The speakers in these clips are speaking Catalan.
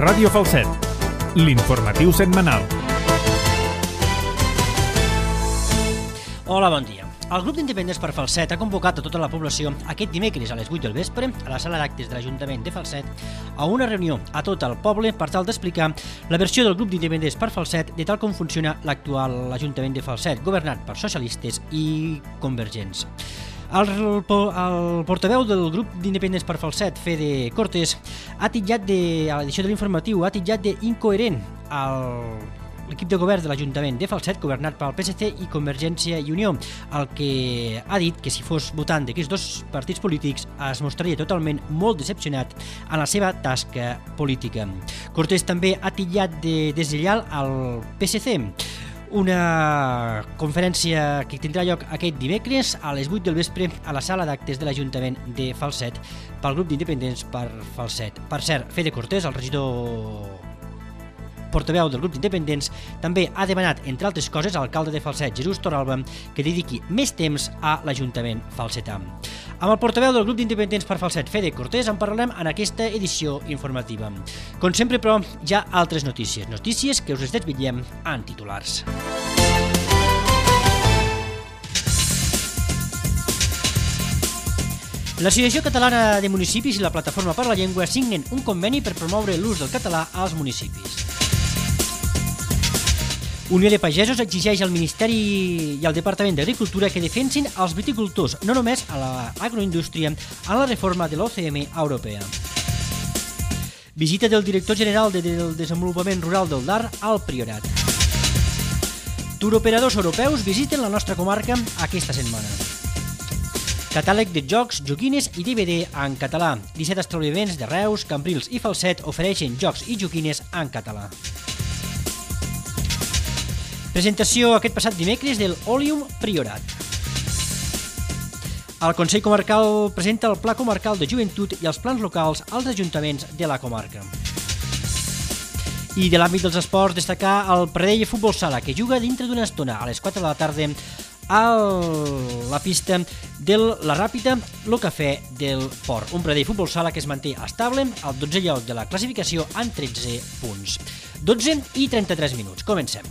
Ràdio Falset, l'informatiu setmanal. Hola, bon dia. El grup d'independents per Falset ha convocat a tota la població aquest dimecres a les 8 del vespre a la sala d'actes de l'Ajuntament de Falset a una reunió a tot el poble per tal d'explicar la versió del grup d'independents per Falset de tal com funciona l'actual Ajuntament de Falset, governat per socialistes i convergents. El portaveu del grup d'independents per Falset, Fede Cortés, a l'edició de l'informatiu ha titllat d'incoherent l'equip de govern de l'Ajuntament de Falset, governat pel PSC i Convergència i Unió, el que ha dit que si fos votant d'aquests dos partits polítics es mostraria totalment molt decepcionat en la seva tasca política. Cortés també ha titllat de deslleial al PSC. Una conferència que tindrà lloc aquest dimecres a les 8 del vespre a la sala d'actes de l'Ajuntament de Falset pel grup d'independents per Falset. Per cert, Fede Cortés, el regidor portaveu del grup d'independents, també ha demanat, entre altres coses, a l'alcalde de Falset, Jesús Torralba, que dediqui més temps a l'Ajuntament falsetà. Amb el portaveu del grup d'independents per Falset, Fede Cortés, en parlarem en aquesta edició informativa. Com sempre, però, hi ha altres notícies que us les desvetllem en titulars. L'Associació Catalana de Municipis i la Plataforma per la Llengua signen un conveni per promoure l'ús del català als municipis. Unió de Pagesos exigeix al Ministeri i al Departament d'Agricultura que defensin els viticultors, no només a l'agroindústria, en la reforma de l'OCM europea. Visita del director general del Desenvolupament Rural del DAR al Priorat. Turoperadors europeus visiten la nostra comarca aquesta setmana. Catàleg de jocs, joguines i DVD en català. 17 establiments de Reus, Cambrils i Falset ofereixen jocs i joguines en català. Presentació aquest passat dimecres del Òlium Priorat. El Consell Comarcal presenta el Pla Comarcal de Joventut i els plans locals als ajuntaments de la comarca. I de l'àmbit dels esports, destacar el Pradell Futbol Sala, que juga dintre d'una estona a les 4 de la tarda a la pista de la Ràpida, el Cafè del Port. Un Pradell Futbol Sala que es manté estable al 12è lloc de la classificació amb 13 punts. 12 i 33 minuts. Comencem.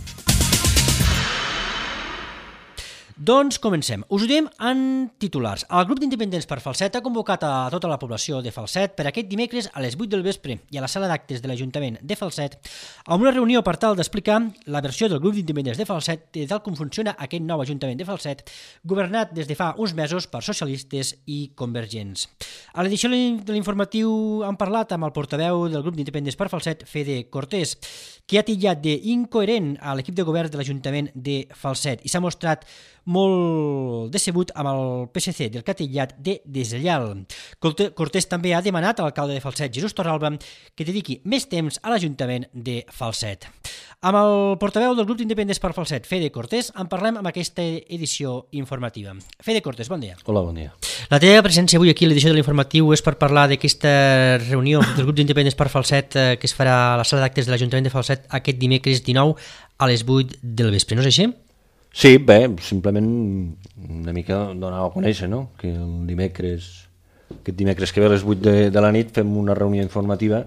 Doncs comencem. Us ho diem en titulars. El grup d'independents per Falset ha convocat a tota la població de Falset per aquest dimecres a les 8 del vespre i a la sala d'actes de l'Ajuntament de Falset a una reunió per tal d'explicar la versió del grup d'independents de Falset de tal com funciona aquest nou Ajuntament de Falset, governat des de fa uns mesos per socialistes i convergents. A l'edició de l'informatiu han parlat amb el portaveu del grup d'independents per Falset, Fede Cortés, que ha titllat d'incoherent a l'equip de govern de l'Ajuntament de Falset i s'ha mostrat molt decebut amb el PSC, del que ha titllat de deslleial. Cortés també ha demanat a l'alcalde de Falset, Jesús Torralba, que dediqui més temps a l'Ajuntament de Falset. Amb el portaveu del grup d'independents per Falset, Fede Cortés, en parlem amb aquesta edició informativa. Fede Cortés, bon dia. Hola, bon dia. La teva presència avui aquí a l'edició de l'informatiu és per parlar d'aquesta reunió del grup d'independents per Falset que es farà a la sala d'actes de l'Ajuntament de Falset aquest dimecres 19 a les 8 del vespre, no és així? Sí, bé, simplement una mica donar a conèixer, no?, que el aquest dimecres que ve a les 8 de la nit fem una reunió informativa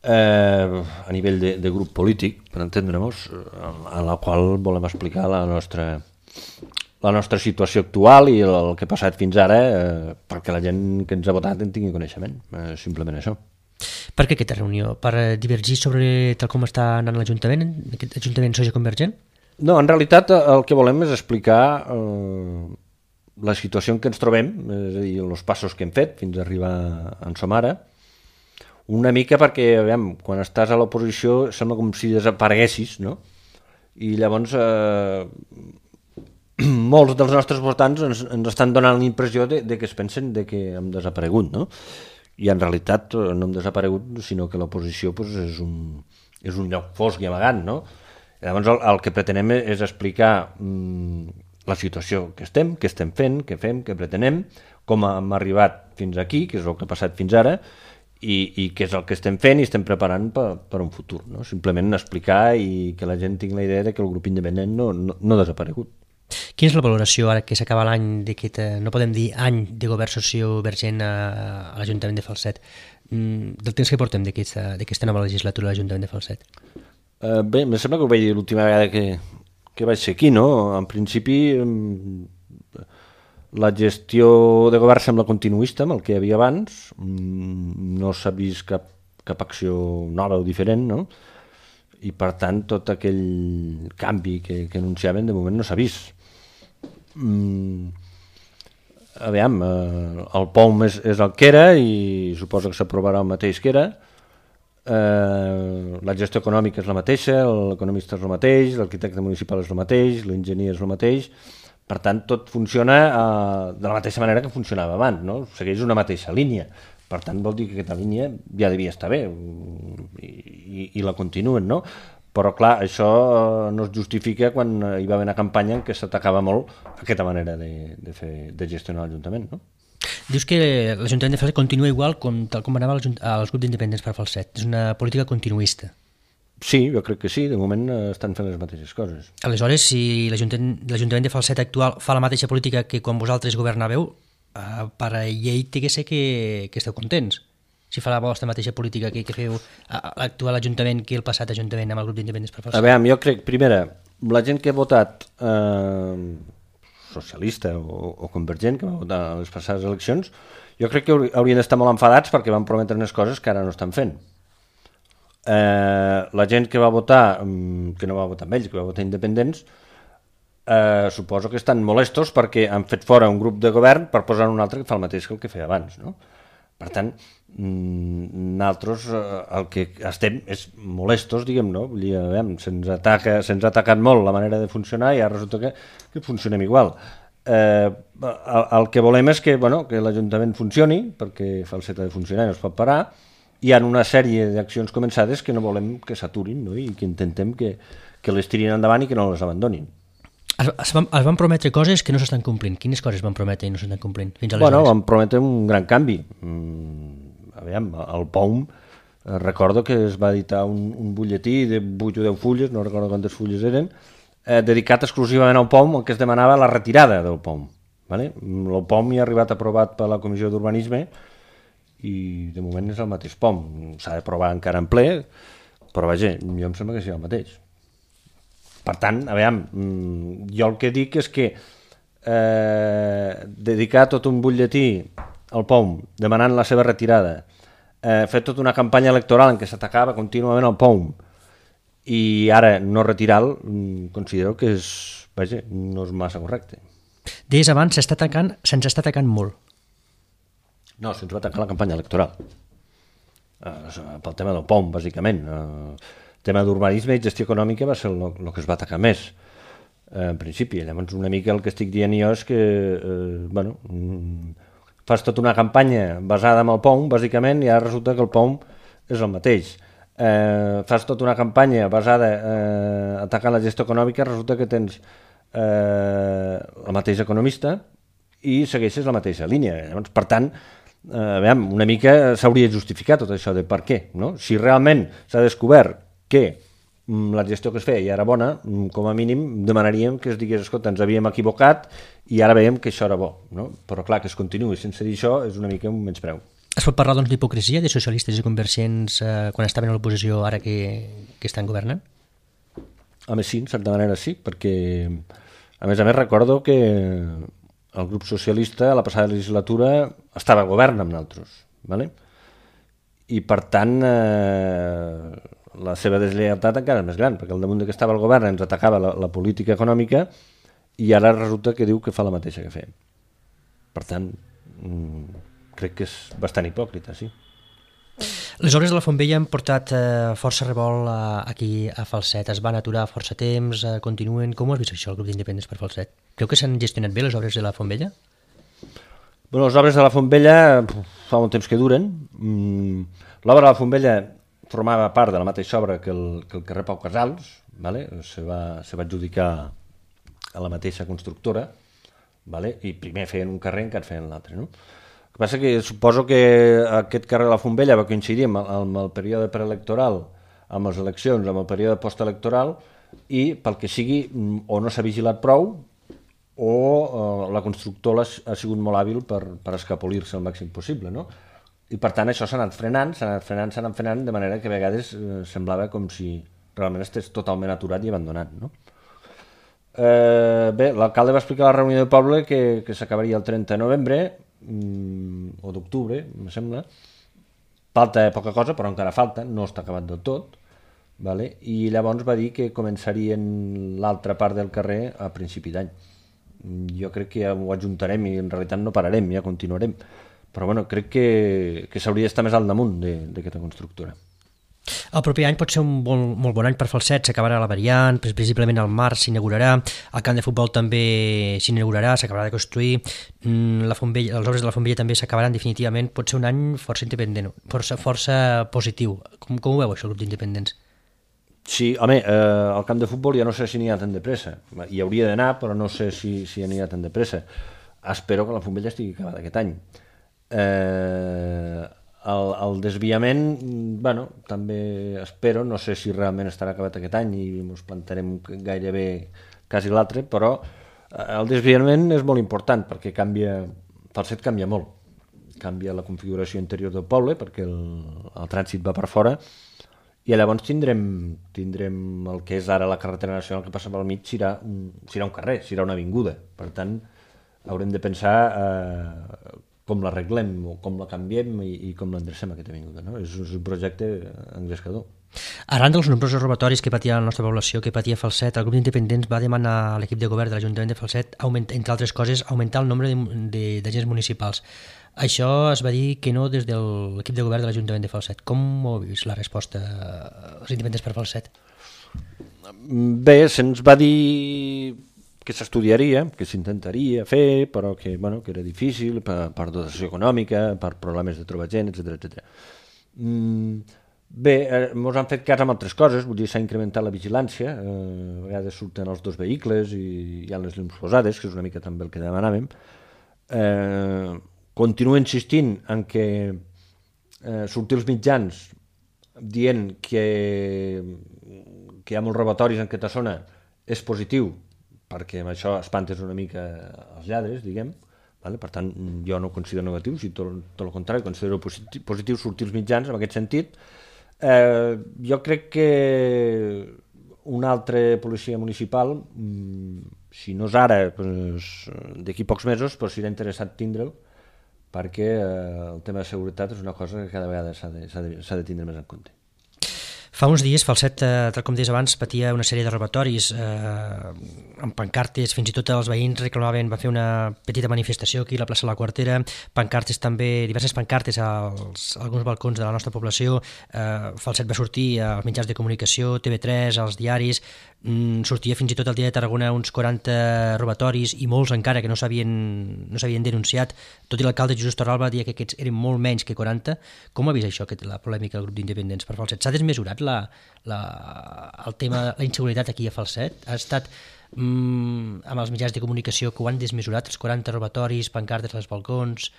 a nivell de grup polític, per entendre-nos, a la qual volem explicar la nostra situació actual i el que ha passat fins ara perquè la gent que ens ha votat en tingui coneixement, simplement això. Per què aquesta reunió? Per divergir sobre tal com està anant l'Ajuntament, aquest Ajuntament socioconvergent? No, en realitat el que volem és explicar la situació en què ens trobem, és a dir, els passos que hem fet fins a arribar on som ara, una mica perquè, aviam, quan estàs a l'oposició sembla com si desapareguessis, no? I llavors molts dels nostres votants ens estan donant la impressió de que es pensen de que hem desaparegut, no? I en realitat no hem desaparegut, sinó que l'oposició pues, és un lloc fosc i amagat, no? Llavors el que pretenem és explicar la situació que estem fent, què fem, què pretenem, com hem arribat fins aquí, que és el que ha passat fins ara, i què és el que estem fent i estem preparant per un futur. No? Simplement explicar i que la gent tingui la idea de que el grup independent no ha desaparegut. Quina és la valoració ara que s'acaba l'any d'aquest, no podem dir any de govern sociovergent a l'Ajuntament de Falset, del temps que portem d'aquesta nova legislatura a l'Ajuntament de Falset? Bé, em sembla que ho vaig dir l'última vegada que vaig ser aquí, no? En principi, la gestió de govern sembla continuista amb el que hi havia abans, no s'ha vist cap acció nova o diferent, no? I per tant tot aquell canvi que anunciaven de moment no s'ha vist. Aviam, el POM és el que era i suposo que s'aprovarà el mateix que era. La gestió econòmica és la mateixa, l'economista és el mateix, l'arquitecte municipal és el mateix, l'enginyer és el mateix. Per tant, tot funciona de la mateixa manera que funcionava abans, no? Segueix una mateixa línia. Per tant, vol dir que aquesta línia ja devia estar bé i la continuen, no? Però, clar, això no es justifica quan hi va haver una campanya en què s'atacava molt aquesta manera de gestionar l'Ajuntament, no? Dius que l'Ajuntament de Falset continua igual tal com anava els grups d'independents per Falset. És una política continuista. Sí, jo crec que sí. De moment estan fent les mateixes coses. Aleshores, si l'Ajuntament de Falset actual fa la mateixa política que quan vosaltres governàveu, per a llei té que ser que esteu contents. Si fa la vostra mateixa política que feu l'actual Ajuntament que el passat Ajuntament amb el grup d'independents per Falset. A veure, jo crec, primera, la gent que ha votat socialista o convergent, que va votar a les passades eleccions, jo crec que haurien d'estar molt enfadats perquè van prometre unes coses que ara no estan fent. La gent que va votar, que no va votar amb ells, que va votar independents, suposo que estan molestos perquè han fet fora un grup de govern per posar un altre que fa el mateix que el que feia abans, no? Per tant, nosaltres el que estem és molestos, diguem, no? Vull dir, se'ns ha atacat molt la manera de funcionar i ara resulta que funcionem igual. El que volem és que l'Ajuntament funcioni, perquè Falset ha de funcionar i no es pot parar. Hi ha una sèrie d'accions començades que no volem que s'aturin, no? I que intentem que les tirin endavant i que no les abandonin. Es van prometre coses que no s'estan complint. Quines coses van prometre i no s'estan complint? Fins aleshores. Van prometre un gran canvi. El POM, recordo que es va editar un butlletí de 8 o 10 fulles, no recordo quantes fulles eren, dedicat exclusivament al POM, el que es demanava la retirada del POM. El POM ja ha arribat aprovat per la Comissió d'Urbanisme i de moment és el mateix POM. S'ha d'aprovar encara en ple, però vaja, jo em sembla que sigui el mateix. Per tant, jo el que dic és que dedicar tot un butlletí al POM demanant la seva retirada, fer tota una campanya electoral en què s'atacava contínuament al POM i ara no retirar-lo, considero que no és massa correcte. Deies abans, se'ns està atacant molt. No, se'ns va atacar la campanya electoral. Pel tema del POM, bàsicament. El tema d'urbanisme i gestió econòmica va ser el que es va atacar més, en principi. Llavors, una mica el que estic dient jo és que, fas tota una campanya basada en el POM, bàsicament, i ara resulta que el POM és el mateix. Fas tota una campanya basada atacant la gestió econòmica, resulta que tens el mateix economista i segueixes la mateixa línia. Llavors, per tant, una mica s'hauria de justificar tot això de per què, no? Si realment s'ha descobert que la gestió que es feia ja era bona, com a mínim demanaríem que es digués, escolta, ens havíem equivocat i ara veiem que això era bo, no? Però clar, que es continuï sense dir això és una mica un menyspreu. Es pot parlar d'hipocresia de socialistes i convergents quan estaven a l'oposició ara que estan governant? Home, sí, en certa manera sí, perquè a més recordo que el grup socialista a la passada legislatura estava a govern amb nosaltres, ¿vale? I per tant la seva deslleialtat encara és més gran, perquè al damunt que estava el govern ens atacava la política econòmica i ara resulta que diu que fa la mateixa que feia. Per tant, crec que és bastant hipòcrita, sí. Les obres de la Fontvella han portat força revolt aquí a Falset, es van aturar força temps, continuen. Com ho has vist això, el grup d'independents per Falset? Creu que s'han gestionat bé les obres de la Fontvella? Bueno, les obres de la Fontvella fa molt temps que duren. L'obra de la Fontvella formava part de la mateixa obra que el carrer Pau Casals, ¿vale? Se va adjudicar a la mateixa constructora, ¿vale? I primer feien un carrer encara feien l'altre, no? El que passa que suposo que aquest carrer de la Fontvella va coincidir amb el període preelectoral, amb les eleccions, amb el període postelectoral, i pel que sigui o no s'ha vigilat prou o la constructora ha sigut molt hàbil per escapolir-se el màxim possible, no? I per tant això s'ha anat frenant, de manera que a vegades semblava com si realment estigués totalment aturat i abandonat, no? Bé, l'alcalde va explicar a la reunió de poble que s'acabaria el 30 de novembre o d'octubre, em sembla. Falta poca cosa, però encara falta, no està acabat del tot, vale? I llavors va dir que començarien l'altra part del carrer a principi d'any. Jo crec que ja ho ajuntarem i en realitat no pararem, ja continuarem. Però bueno, crec que s'hauria d'estar més al damunt d'aquesta constructora. El proper any pot ser un molt bon any per Falset, s'acabarà la variant, previsiblement al març s'inaugurarà, el camp de futbol també s'inaugurarà, s'acabarà de construir, les obres de la Font Vella també s'acabaran definitivament, pot ser un any força independent, força positiu. Com ho veu això, el grup d'independents? Sí, home, el camp de futbol ja no sé si n'hi ha tan de pressa, hi hauria d'anar, però no sé si n'hi ha tan de pressa. Espero que la Font Vella estigui acabada aquest any. El desviament, bueno, també espero, no sé si realment estarà acabat aquest any i ens plantarem gairebé quasi l'altre, però el desviament és molt important perquè Falset canvia molt, canvia la configuració interior del poble perquè el trànsit va per fora i llavors tindrem el que és ara la carretera nacional que passa pel mig, serà un carrer, serà una avinguda, per tant haurem de pensar com l'arreglem o com la canviem i com l'endrecem aquesta avinguda, no? És un projecte engrescador. Arran dels nombrosos robatoris que patia la nostra població, que patia Falset, el grup d'independents va demanar a l'equip de govern de l'Ajuntament de Falset, entre altres coses, augmentar el nombre d'agents municipals. Això es va dir que no des de l'equip de govern de l'Ajuntament de Falset. Com ho heu vist la resposta als independents per Falset? Bé, se'ns va dir que s'estudiaria, que s'intentaria fer, però que era difícil per dotació econòmica, per problemes de trobar gent, etc. Bé, ens han fet cas amb altres coses, vull dir, s'ha incrementat la vigilància, a vegades surten els dos vehicles i hi ha les llums posades, que és una mica també el que demanàvem. Continuo insistint en que sortir els mitjans dient que hi ha molts robatoris en aquesta zona és positiu, perquè amb això espantes una mica els lladres, diguem. Per tant, jo no ho considero negatiu, si tot el contrari, considero positiu sortir els mitjans en aquest sentit. Jo crec que una altra policia municipal, si no és ara, d'aquí pocs mesos, serà interessant tindre'l, perquè el tema de seguretat és una cosa que cada vegada s'ha de tindre més en compte. Fa uns dies Falset, tal com deies abans, patia una sèrie de robatoris amb pancartes, fins i tot els veïns reclamaven, van fer una petita manifestació aquí a la plaça de la Quartera, pancartes també, diverses pancartes a alguns balcons de la nostra població. Falset va sortir als mitjans de comunicació, TV3, als diaris, sortia fins i tot al Dia de Tarragona uns 40 robatoris i molts encara que no s'havien denunciat, tot i l'alcalde Jesús Torralba dia que aquests eren molt menys que 40. Com ha vist això, la polèmica del grup d'independents per Falset? S'ha desmesurat el tema, la inseguretat aquí a Falset? Ha estat amb els mitjans de comunicació que ho han desmesurat, els 40 robatoris, pancartes als balcons?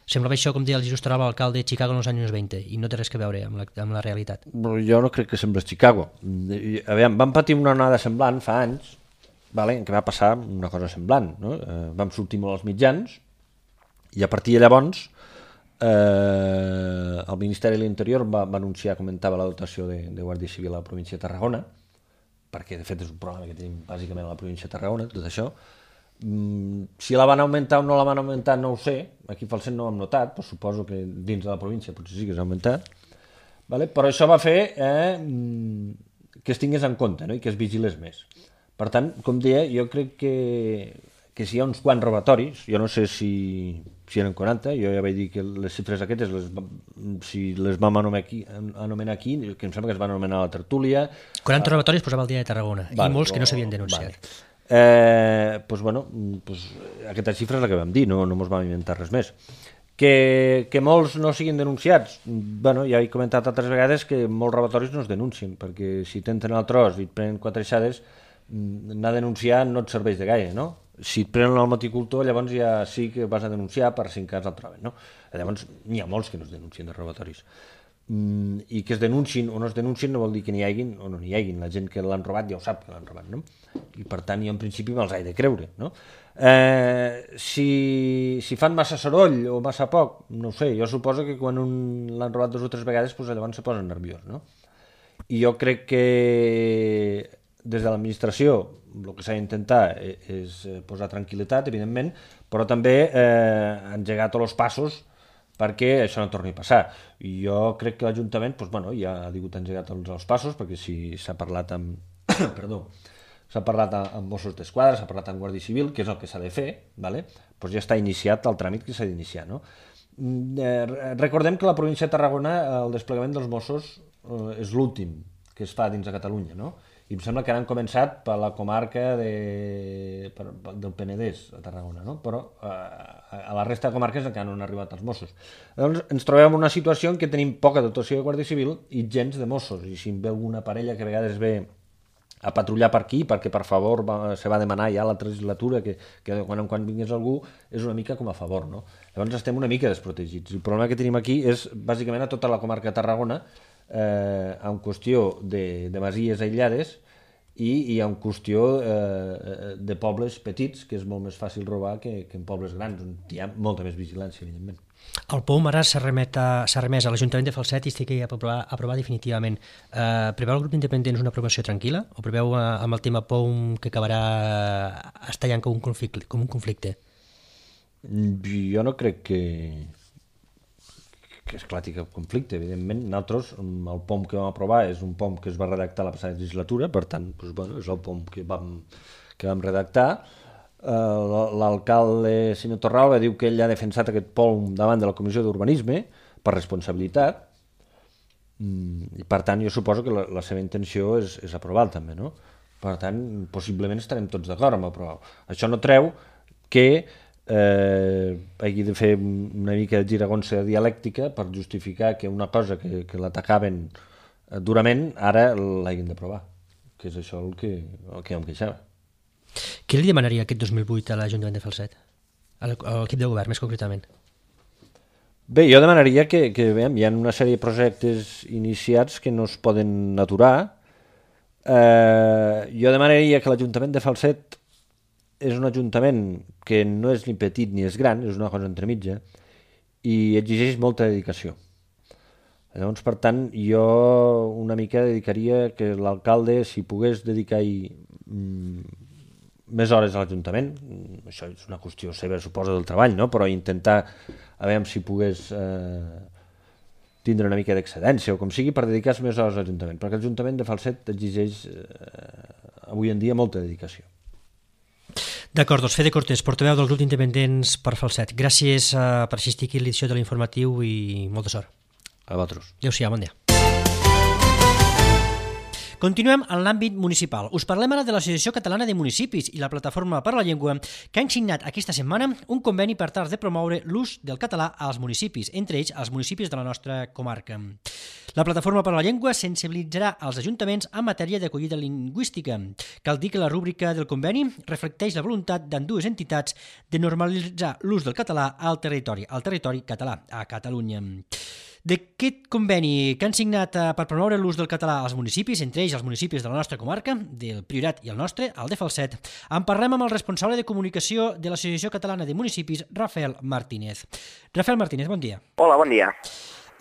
Semblava això, com deia el Jesús Torralba, l'alcalde de Chicago en els anys 20, i no té res a veure amb la realitat. Jo no crec que sembla Chicago. Vam patir una onada semblant fa anys, en què va passar una cosa semblant. Vam sortir molt als mitjans, i a partir de llavors el Ministeri de l'Interior va anunciar, comentava la dotació de Guàrdia Civil a la província de Tarragona, perquè de fet és un problema que tenim bàsicament a la província de Tarragona, tot això. Si la van augmentar o no la van augmentar no ho sé, aquí a Falset no ho hem notat, però suposo que dins de la província potser sí que s'ha augmentat, però això va fer que es tingués en compte i que es vigilés més. Per tant, com deia, jo crec que si hi ha uns quants robatoris, jo no sé si eren 40, jo ja vaig dir que les xifres aquestes, si les vam anomenar aquí, que em sembla que es van anomenar a la tertúlia. 40 robatoris posava el Dia de Tarragona, i molts que no s'havien denunciat. Aquesta xifra és la que vam dir, no ens vam inventar res més. Que molts no siguin denunciats, ja he comentat altres vegades que molts robatoris no es denuncien, perquè si t'entren al tros i et prenen 4 aixades, anar a denunciar no et serveix de gaire, no? Si et prenen el moticultor, llavors ja sí que vas a denunciar per si en cas el troben, no? Llavors n'hi ha molts que no es denuncien de robatoris. i que es denunciin o no es denunciin no vol dir que n'hi haguin o no n'hi haguin. La gent que l'han robat ja ho sap que l'han robat, no? I per tant jo en principi me'ls he de creure, no? Si fan massa soroll o massa poc, no ho sé, jo suposo que quan l'han robat 2 o 3 vegades doncs llavors se posen nerviós, no? I jo crec que des de l'administració el que s'ha d'intentar és posar tranquil·litat, evidentment, però també engegar tots els passos perquè això no torni a passar. I jo crec que l'Ajuntament ja ha hagut engegat tots els passos, perquè si s'ha parlat amb s'ha parlat amb Mossos d'Esquadra, s'ha parlat amb Guàrdia Civil, que és el que s'ha de fer, doncs ja està iniciat el tràmit que s'ha d'iniciar, no? Recordem que a la província de Tarragona el desplegament dels Mossos és l'últim que es fa dins de Catalunya, no? I em sembla que han començat per la comarca del Penedès, a Tarragona, no? Però a la resta de comarques encara no han arribat els Mossos. Llavors ens trobem en una situació en què tenim poca dotació de Guàrdia Civil i gens de Mossos, i si em ve alguna parella que a vegades ve a patrullar per aquí, perquè per favor se va demanar ja a l'altra legislatura que de quan en quan vingués algú, és una mica com a favor, no? Llavors estem una mica desprotegits. El problema que tenim aquí és bàsicament a tota la comarca de Tarragona, en qüestió de masies aïllades i en qüestió de pobles petits, que és molt més fàcil robar que en pobles grans, on hi ha molta més vigilància, evidentment. El POUM ara s'ha remès a l'Ajuntament de Falset i estic a aprovar definitivament. Preveu el grup d'independents una aprovació tranquil·la o preveu amb el tema POUM que acabarà estallant com un conflicte? Jo no crec que esclati cap conflicte, evidentment. Nosaltres, el POM que vam aprovar és un POM que es va redactar la passada legislatura, per tant, és el POM que vam redactar. L'alcalde, senyor Torralba, diu que ell ha defensat aquest POM davant de la Comissió d'Urbanisme per responsabilitat, i per tant jo suposo que la seva intenció és aprovar-lo també, no? Per tant, possiblement estarem tots d'acord amb aprovar-lo. Això no treu que hagi de fer una mica de giragonsa dialèctica per justificar que una cosa que l'atacaven durament ara l'hagin d'aprovar, que és això el que em queixava. Què li demanaria aquest 2008 a l'Ajuntament de Falset? A l'equip de govern, més concretament? Bé, jo demanaria que hi ha una sèrie de projectes iniciats que no es poden aturar. Jo demanaria que l'Ajuntament de Falset és un ajuntament que no és ni petit ni és gran, és una cosa entremitja, i exigeix molta dedicació. Llavors, per tant, jo una mica dedicaria que l'alcalde, si pogués dedicar-hi més hores a l'Ajuntament, això és una qüestió seva, suposa, del treball, no? Però intentar, a veure si pogués tindre una mica d'excedència o com sigui, per dedicar-se més hores a l'Ajuntament, perquè l'Ajuntament de Falset exigeix avui en dia molta dedicació. D'acord, doncs Fede Cortés, portaveu del grup d'independents per Falset. Gràcies per assistir aquí a l'edició de l'informatiu i molta sort. A vosaltres. Adéu-siau, bon dia. Continuem en l'àmbit municipal. Us parlem ara de l'Associació Catalana de Municipis i la Plataforma per la Llengua, que han signat aquesta setmana un conveni per tal de promoure l'ús del català als municipis, entre ells als municipis de la nostra comarca. La Plataforma per la Llengua sensibilitzarà els ajuntaments en matèria d'acollida lingüística. Cal dir que la rúbrica del conveni reflecteix la voluntat d'ambdues entitats de normalitzar l'ús del català al territori català, a Catalunya. D'aquest conveni que han signat per promoure l'ús del català als municipis, entre ells els municipis de la nostra comarca, del Priorat i el nostre, el de Falset, en parlem amb el responsable de comunicació de l'Associació Catalana de Municipis, Rafael Martínez. Rafael Martínez, bon dia. Hola, bon dia.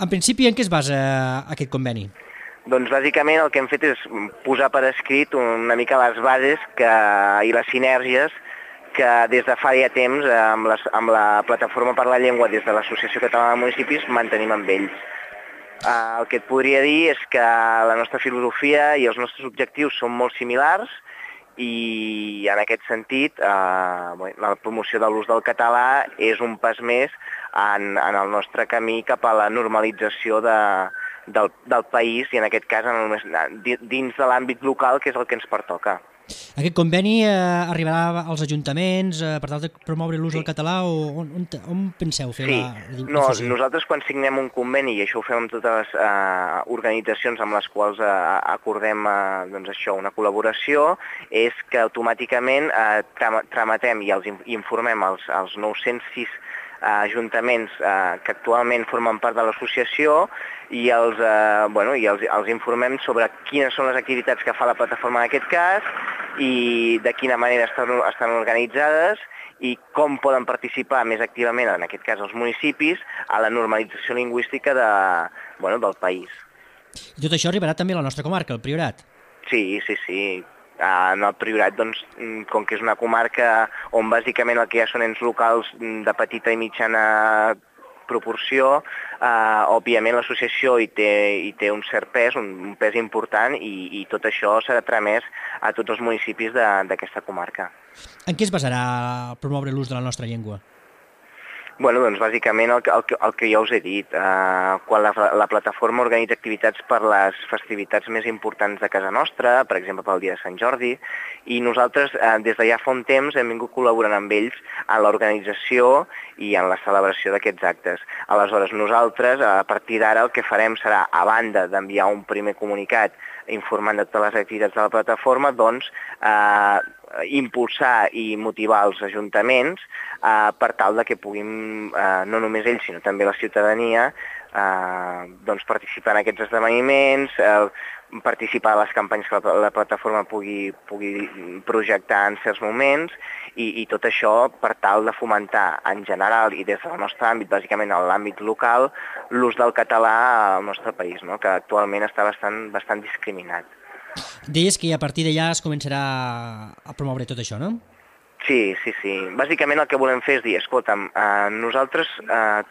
En principi, en què es basa aquest conveni? Doncs bàsicament el que hem fet és posar per escrit una mica les bases i les sinergies que des de fa ja temps amb la Plataforma per la Llengua des de l'Associació Catalana de Municipis mantenim amb ells. El que et podria dir és que la nostra filosofia i els nostres objectius són molt similars i en aquest sentit la promoció de l'ús del català és un pas més en el nostre camí cap a la normalització del país i en aquest cas dins de l'àmbit local, que és el que ens pertoca. Aquest conveni arribarà als ajuntaments per tal de promoure l'ús del català o on penseu fer la difusió? Nosaltres quan signem un conveni, i això ho fem amb totes les organitzacions amb les quals acordem una col·laboració, és que automàticament tramitem i els informem als 906 ajuntaments que actualment formen part de l'associació i els informem sobre quines són les activitats que fa la plataforma en aquest cas i de quina manera estan organitzades i com poden participar més activament, en aquest cas els municipis, a la normalització lingüística del país. I tot això arribarà també a la nostra comarca, el Priorat? Sí. En el Priorat, doncs, com que és una comarca on bàsicament el que hi ha són ens locals de petita i mitjana proporció, òbviament l'associació hi té un cert pes, un pes important i tot això serà tramès a tots els municipis d'aquesta comarca. En què es basarà promoure l'ús de la nostra llengua? Doncs bàsicament el que ja us he dit. Quan la plataforma organitza activitats per les festivitats més importants de casa nostra, per exemple pel dia de Sant Jordi, i nosaltres des de ja fa un temps hem vingut col·laborant amb ells en l'organització i en la celebració d'aquests actes. Aleshores nosaltres, a partir d'ara, el que farem serà, a banda d'enviar un primer comunicat informant de totes les activitats de la plataforma, doncs impulsar i motivar els ajuntaments per tal de que puguin, no només ells, sinó també la ciutadania, participar en aquests esdeveniments, participar a les campanyes que la plataforma pugui projectar en certs moments i tot això per tal de fomentar en general i des del nostre àmbit, bàsicament en l'àmbit local, l'ús del català al nostre país, no? Que actualment està bastant discriminat. Deies que a partir d'allà es començarà a promoure tot això, no? Sí. Bàsicament el que volem fer és dir, escolta'm, nosaltres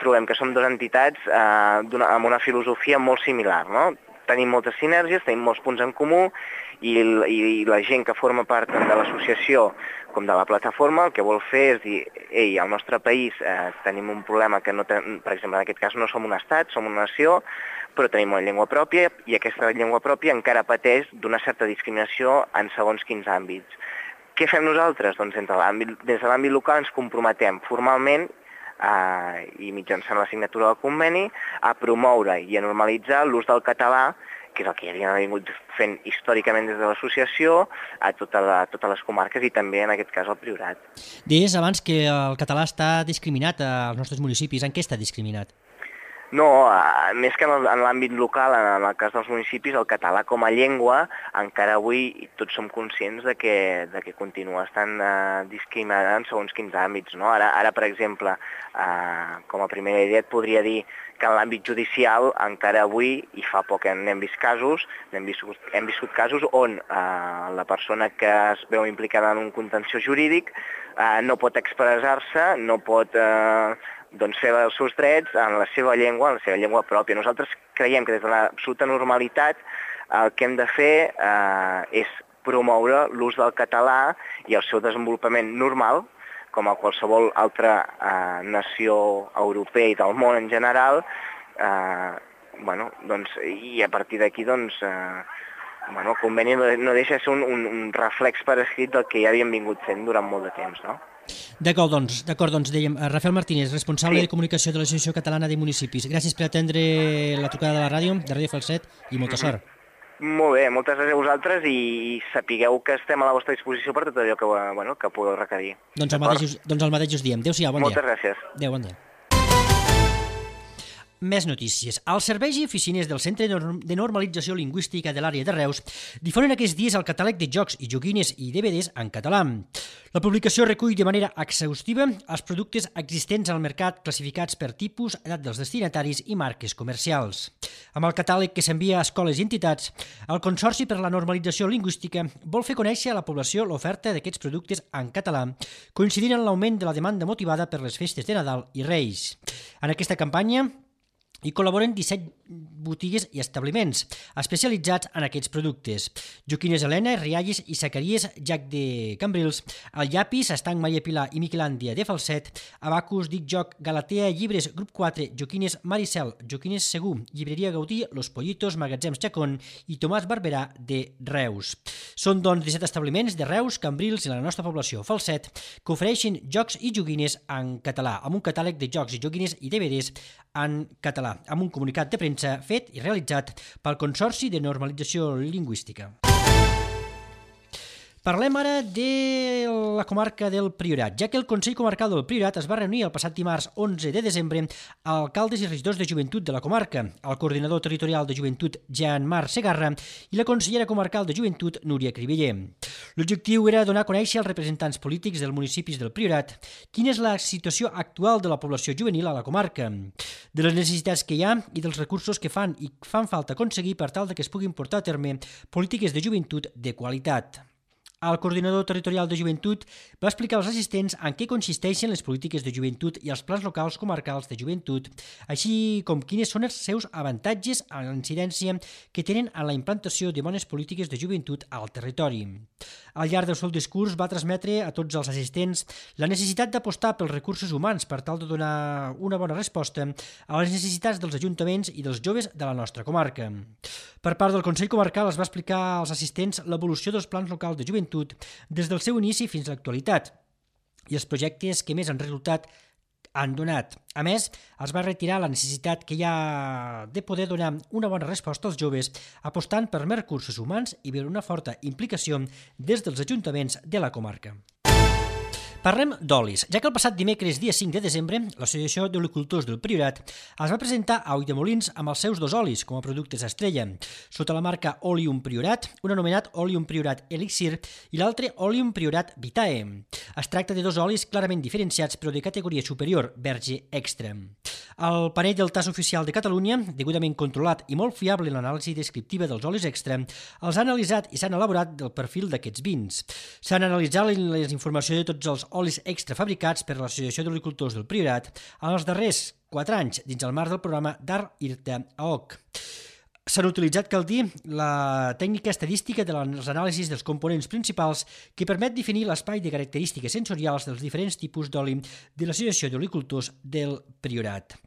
trobem que som dues entitats amb una filosofia molt similar, no? Tenim moltes sinergies, tenim molts punts en comú i la gent que forma part tant de l'associació com de la plataforma el que vol fer és dir, ei, al nostre país tenim un problema que, per exemple, en aquest cas no som un estat, som una nació, però tenim una llengua pròpia i aquesta llengua pròpia encara pateix d'una certa discriminació en segons quins àmbits. Què fem nosaltres? Doncs des de l'àmbit local ens comprometem formalment i mitjançant la signatura del conveni a promoure i a normalitzar l'ús del català, que és el que ja havien vingut fent històricament des de l'associació, a totes les comarques i també en aquest cas al Priorat. Deies abans que el català està discriminat als nostres municipis. En què està discriminat? No, més que en l'àmbit local, en el cas dels municipis, el català com a llengua, encara avui tots som conscients de que continua estant discriminat en segons quins àmbits, no? Ara, per exemple, com a primera idea et podria dir que en l'àmbit judicial encara avui, i fa poc n'hem vist casos, hem viscut casos on la persona que es veu implicada en un contenció jurídic no pot expressar-se, no pot fer els seus drets en la seva llengua pròpia. Nosaltres creiem que des de l'absoluta normalitat el que hem de fer és promoure l'ús del català i el seu desenvolupament normal, com a qualsevol altra nació europea i del món en general, i a partir d'aquí el conveni no deixa de ser un reflex per escrit del que ja havíem vingut fent durant molt de temps, no? D'acord, doncs dèiem, Rafael Martínez, responsable de comunicació de l'Associació Catalana de Municipis. Gràcies per atendre la trucada de la ràdio, de Ràdio Falset, i molta sort. Molt bé, moltes gràcies a vosaltres i sapigueu que estem a la vostra disposició per tot allò que podeu requerir. Doncs el mateix us diem. Adéu-siau, bon dia. Moltes gràcies. Adéu, bon dia. Més notícies. Els serveis i oficines del Centre de Normalització Lingüística de l'àrea de Reus difonen aquests dies el catàleg de jocs i joguines i DVDs en català. La publicació recull de manera exhaustiva els productes existents al mercat classificats per tipus, edat dels destinataris i marques comercials. Amb el catàleg que s'envia a escoles i entitats, el Consorci per la Normalització Lingüística vol fer conèixer a la població l'oferta d'aquests productes en català, coincidint en l'augment de la demanda motivada per les festes de Nadal i Reis. En aquesta campanya hi col·laboren 17 botigues i establiments especialitzats en aquests productes. Joquines Helena, Rialles i Sacaries, Jac de Cambrils, el Llapis, Estanc Maria Pilar i Miquelàndia de Falset, Abacus, Dic Joc, Galatea, Llibres, Grup 4, Joquines Maricel, Joquines Segur, Llibreria Gaudí, Los Pollitos, Magatzems Chacón i Tomàs Barberà de Reus. Són, doncs, 17 establiments de Reus, Cambrils i la nostra població, Falset, que ofereixen jocs i joguines en català, amb un catàleg de jocs i joguines i DVDs en català, amb un comunicat de premsa fet i realitzat pel Consorci de Normalització Lingüística. Parlem ara de la comarca del Priorat, ja que el Consell Comarcal del Priorat es va reunir el passat dimarts 11 de desembre amb alcaldes i regidors de joventut de la comarca, el coordinador territorial de joventut Jean-Marc Segarra i la consellera comarcal de joventut Núria Cribeller. L'objectiu era donar a conèixer als representants polítics dels municipis del Priorat quina és la situació actual de la població juvenil a la comarca, de les necessitats que hi ha i dels recursos que fan falta aconseguir per tal que es puguin portar a terme polítiques de joventut de qualitat. El coordinador territorial de joventut va explicar als assistents en què consisteixen les polítiques de joventut i els plans locals comarcals de joventut, així com quines són els seus avantatges a la incidència que tenen en la implantació de bones polítiques de joventut al territori. Al llarg del seu discurs va transmetre a tots els assistents la necessitat d'apostar pels recursos humans per tal de donar una bona resposta a les necessitats dels ajuntaments i dels joves de la nostra comarca. Per part del Consell Comarcal es va explicar als assistents l'evolució dels plans locals de joventut des del seu inici fins a l'actualitat i els projectes que més han resultat han donat. A més, es va retirar la necessitat que hi ha de poder donar una bona resposta als joves apostant per més recursos humans i per una forta implicació des dels ajuntaments de la comarca. Parlem d'olis, ja que el passat dimecres, dia 5 de desembre, l'Associació d'Olicultors del Priorat es va presentar a Ulldemolins amb els seus 2 olis com a productes estrella, sota la marca Oleum Priorat, un anomenat Oleum Priorat Elixir i l'altre Oleum Priorat Vitae. Es tracta de 2 olis clarament diferenciats però de categoria superior, verge extra. El panell del TAS oficial de Catalunya, degudament controlat i molt fiable en l'anàlisi descriptiva dels olis extra, els ha analitzat i s'han elaborat del perfil d'aquests vins. S'han analitzat les informacions de tots els olis extra fabricats per l'Associació d'Olicultors del Priorat en els darrers 4 anys dins el marc del programa DAR IRTA AOC. S'han utilitzat, cal dir, la tècnica estadística de les anàlisis dels components principals que permet definir l'espai de característiques sensorials dels diferents tipus d'oli de l'Associació d'Olicultors del Priorat.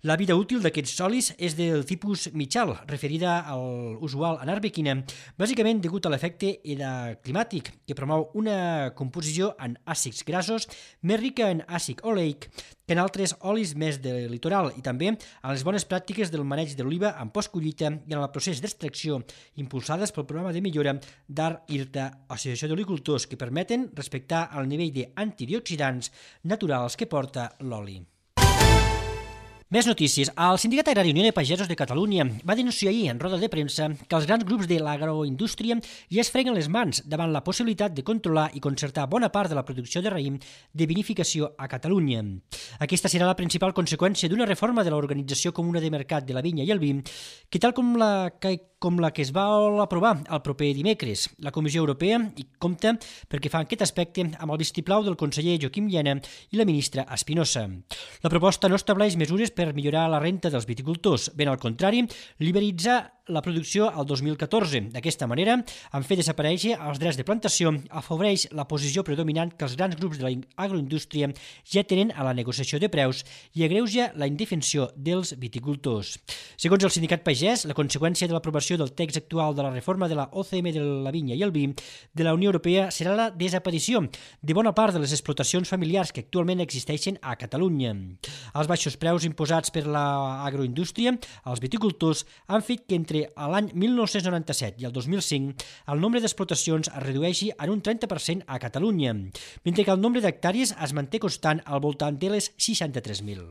La vida útil d'aquests olis és del tipus mitjal, referida al usual en arbequina, bàsicament degut a l'efecte climàtic, que promou una composició en àcids grassos més rica en àcid oleic que en altres olis més del litoral i també en les bones pràctiques del maneig de l'oliva en postcollita i en el procés d'extracció impulsades pel programa de millora d'AR IRTA, Associació d'Olicultors, que permeten respectar el nivell d'antioxidants naturals que porta l'oli. Més notícies. El Sindicat Agrari Unió de Pagesos de Catalunya va denunciar ahir en roda de premsa que els grans grups de l'agroindústria ja es freguen les mans davant la possibilitat de controlar i concertar bona part de la producció de raïm de vinificació a Catalunya. Aquesta serà la principal conseqüència d'una reforma de l'Organització Comuna de Mercat de la Vinya i el Vi, que tal com la que es va aprovar el proper dimecres. La Comissió Europea hi compta perquè fa aquest aspecte amb el vistiplau del conseller Joaquim Llena i la ministra Espinosa. La proposta no estableix mesures per millorar la renta dels viticultors, ben al contrari, liberalitzar la producció al 2014. D'aquesta manera, en fer desaparèixer els drets de plantació, afavoreix la posició predominant que els grans grups de l'agroindústria ja tenen a la negociació de preus i agreuja la indefensió dels viticultors. Segons el sindicat pagès, la conseqüència de l'aprovació del text actual de la reforma de la OCM de la vinya i el vi de la Unió Europea serà la desaparició de bona part de les explotacions familiars que actualment existeixen a Catalunya. Els baixos preus imposats per l'agroindústria als viticultors han fet que entre l'any 1997 i el 2005 el nombre d'explotacions es redueixi en un 30% a Catalunya, mentre que el nombre d'hectàrees es manté constant al voltant de les 63.000.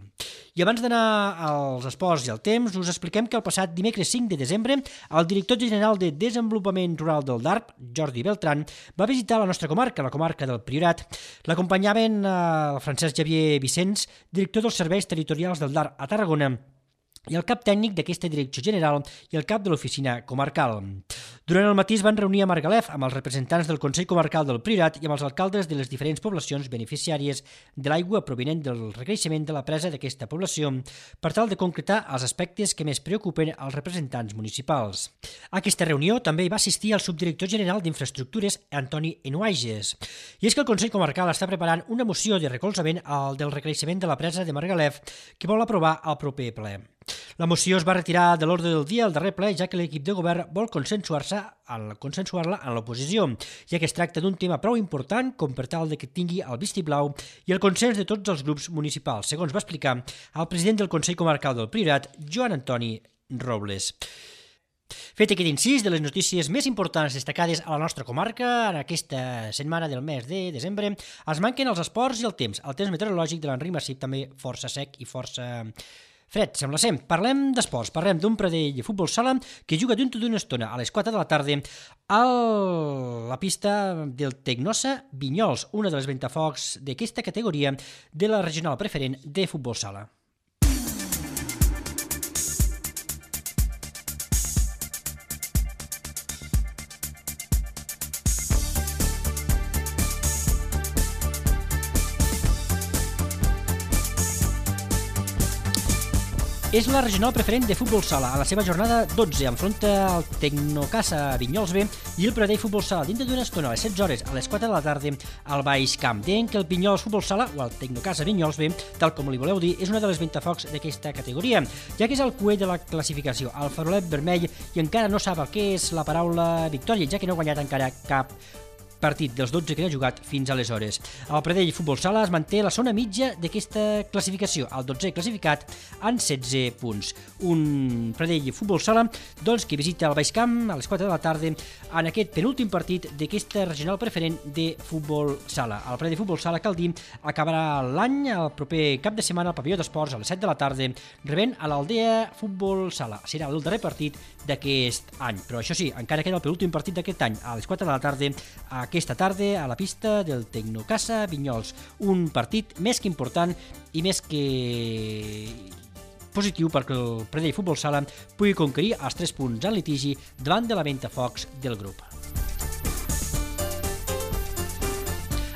I abans d'anar als esports i al temps, us expliquem que el passat dimecres 5 de desembre el director general de Desenvolupament Rural del DARP, Jordi Beltran, va visitar la nostra comarca, la comarca del Priorat. L'acompanyaven el Francesc Xavier Vicenç, director dels serveis territorials del DARP a Tarragona, i el cap tècnic d'aquesta direcció general i el cap de l'oficina comarcal. Durant el matí es van reunir a Margalef amb els representants del Consell Comarcal del Priorat i amb els alcaldes de les diferents poblacions beneficiàries de l'aigua provinent del recreixement de la presa d'aquesta població per tal de concretar els aspectes que més preocupen als representants municipals. A aquesta reunió també hi va assistir el subdirector general d'Infraestructures, Antoni Enuaiges. I és que el Consell Comarcal està preparant una moció de recolzament al del recreixement de la presa de Margalef que vol aprovar al proper ple. La moció es va retirar de l'ordre del dia al darrer ple, ja que l'equip de govern vol consensuar-la en l'oposició, ja que es tracta d'un tema prou important com per tal de que tingui el vistiplau i el consens de tots els grups municipals, segons va explicar el president del Consell Comarcal del Priorat, Joan Antoni Robles. Fet aquest incís de les notícies més importants destacades a la nostra comarca en aquesta setmana del mes de desembre, es manquen els esports i el temps meteorològic de l'Enric Massip també força sec i força fred, sembla ser. Parlem d'esports, parlem d'un Pradell de futbol sala que juga dintre d'una estona a les 4 de la tarda a la pista del Tecnosa Vinyols, una de les ventafocs d'aquesta categoria de la regional preferent de futbol sala. És la regional preferent de futbol sala. A la seva jornada 12 enfronta el Tecnocasa Vinyols B i el Pradell Futbol Sala dintre d'una estona a les 16 hores a les 4 de la tarda al Baix Camp. Deien que el Vinyols Futbol Sala o el Tecnocasa Vinyols B, tal com li voleu dir, és una de les ventafocs d'aquesta categoria, ja que és el cué de la classificació, el farolet vermell, i encara no sap el que és la paraula victòria, ja que no ha guanyat encara cap partit dels 12 que ha jugat fins aleshores. El Pradell Futbol Sala es manté a la zona mitja d'aquesta classificació, el 12è classificat en 16 punts. Un Pradell Futbol Sala doncs, que visita el Baix Camp a les 4 de la tarda en aquest penúltim partit d'aquesta regional preferent de futbol sala. El Pradell Futbol Sala, cal dir, acabarà l'any el proper cap de setmana al pavelló d'esports a les 7 de la tarda, rebent a l'Aldea Futbol Sala. Serà el darrer partit d'aquest any, però això sí, encara queda el penúltim partit d'aquest any a les 4 de la tarda aquesta tarda a la pista del Tecnocasa Vinyols. Un partit més que important i més que positiu perquè el Pradell Futbol Sala pugui conquerir els 3 punts en litigi davant de la ventafocs del grup.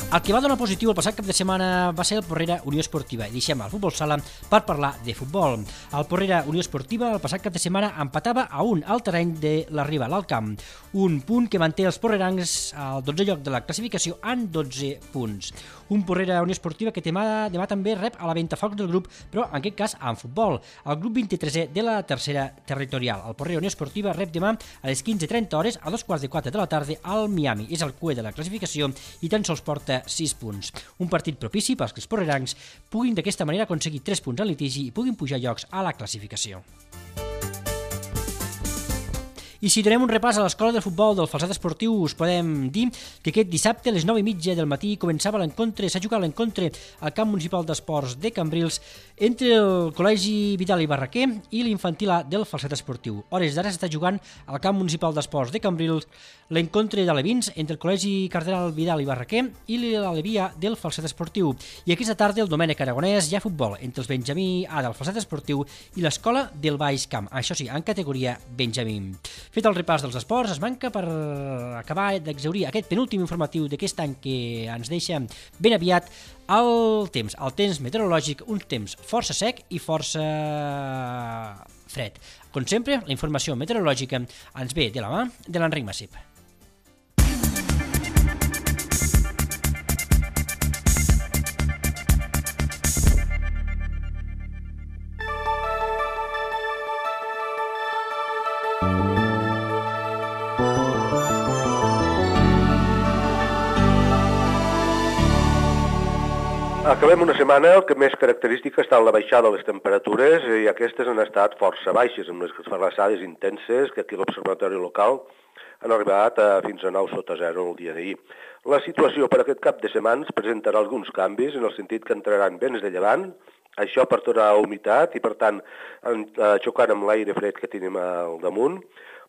El que va donar positiu el passat cap de setmana va ser el Porrera Unió Esportiva i deixem el futbol sala per parlar de futbol. El Porrera Unió Esportiva el passat cap de setmana empatava a 1 al terreny de la Riba, l'Alt Camp, un punt que manté els porrerancs al 12è lloc de la classificació en 12 punts. Un Porrera Unió Esportiva que demà també rep a la ventafocs del grup, però en aquest cas en futbol. El grup 23è de la tercera territorial. El Porrera Unió Esportiva rep demà a les 15:30 hores a 3:45 de la tarda al Miami. És el cué de la classificació i tan sols porta 6 punts. Un partit propici perquè els porrerancs puguin d'aquesta manera aconseguir 3 punts en litigi i puguin pujar llocs a la classificació. I si donem un repàs a l'escola de futbol del Falset Esportiu, us podem dir que aquest dissabte a les 9:30 del matí s'ha jugat l'encontre al camp municipal d'esports de Cambrils entre el Col·legi Vidal i Barraquer i l'infantil A del Falset Esportiu. Hores d'ara s'està jugant al camp municipal d'esports de Cambrils l'encontre d'alevins entre el Col·legi Cardenal Vidal i Barraquer i l'Alevia del Falset Esportiu. I aquesta tarda el Domènec Aragonès hi ha futbol entre els Benjamí A del Falset Esportiu i l'escola del Baix Camp, això sí, en categoria Benjamí. Fet el repàs dels esports, es manca per acabar d'exhaurir aquest penúltim informatiu d'aquest any que ens deixa ben aviat el temps meteorològic, un temps força sec i força fred. Com sempre, la informació meteorològica ens ve de la mà de l'Enric Massip. Acabem una setmana que més característica està en la baixada de les temperatures i aquestes han estat força baixes, amb les glaçades intenses que aquí a l'observatori local han arribat fins a 9 sota 0 el dia d'ahir. La situació per aquest cap de setmana presentarà alguns canvis en el sentit que entraran vents de llevant, això portarà humitat i per tant xocant amb l'aire fred que tenim al damunt,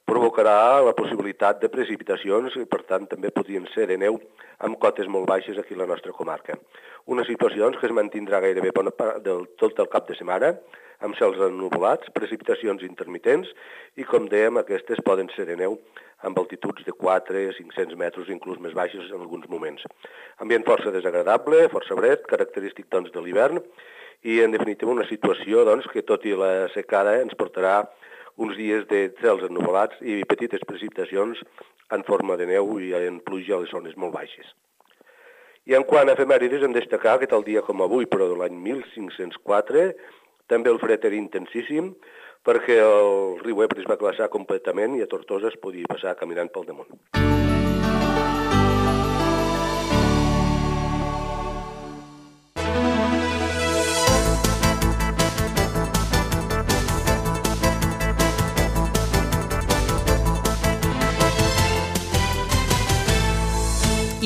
provocarà la possibilitat de precipitacions i, per tant, també podrien ser de neu amb cotes molt baixes aquí a la nostra comarca. Unes situacions que es mantindrà gairebé bona part tot el cap de setmana, amb cels ennuvolats, precipitacions intermitents i, com dèiem, aquestes poden ser de neu amb altituds de 400-500 metres, inclús més baixes en alguns moments. Ambient força desagradable, força fred, característic doncs, de l'hivern i, en definitiva, una situació doncs, que, tot i la secada, ens portarà uns dies de cels ennuvolats i petites precipitacions en forma de neu i en pluja a les zones molt baixes. I en quant a efemèrides, hem de destacar que tal dia com avui, però de l'any 1504, també el fred era intensíssim perquè el riu Ebre es va glaçar completament i a Tortosa es podia passar caminant pel damunt.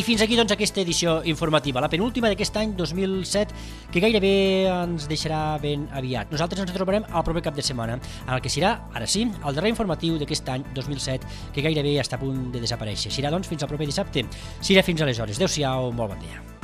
I fins aquí doncs aquesta edició informativa, la penúltima d'aquest any 2007, que gairebé ens deixarà ben aviat. Nosaltres ens trobarem al proper cap de setmana, en el que serà, ara sí, el darrer informatiu d'aquest any 2007, que gairebé està a punt de desaparèixer. Serà doncs fins al proper dissabte. Serà fins aleshores. Adéu-siau, molt bon dia.